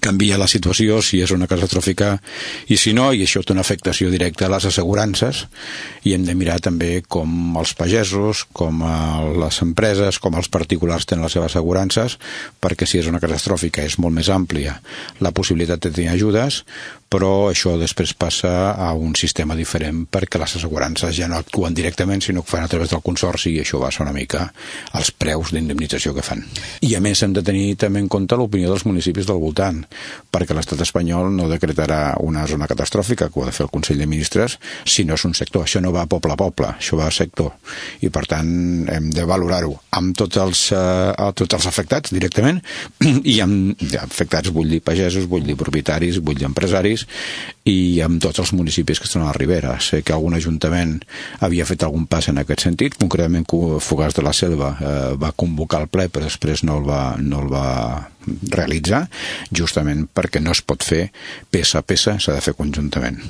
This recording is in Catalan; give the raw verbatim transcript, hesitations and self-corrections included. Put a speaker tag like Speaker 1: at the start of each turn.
Speaker 1: canvia la situació, si és una catastròfica i si no, i això té una afectació directa a les assegurances, i hem de mirar també com els pagesos, com les empreses, com els particulars tenen les seves assegurances, perquè si és una catastròfica és molt més àmplia la possibilitat de tenir ajudes, però això després passa a un sistema diferent perquè les assegurances ja no actuen directament, sinó que fan a través del consorci, i això baixa una mica els preus d'indemnització que fan. I a més hem de tenir també en compte l'opinió dels municipis del voltant, perquè l'estat espanyol no decretarà una zona catastròfica, que ho ha de fer el Consell de Ministres, si no és un sector. Això no va poble a poble, això va a sector, i per tant hem de valorar-ho amb tots els, eh, tots els afectats directament, i amb ja, afectats vull dir pagesos, vull dir propietaris, vull dir empresaris, i amb tots els municipis que estan a la Ribera. Sé que algun ajuntament havia fet algun pas en aquest sentit, concretament Fogars de la Selva eh, va convocar el ple però després no el va, no el va realitzar, justament perquè no es pot fer peça a peça, s'ha de fer conjuntament.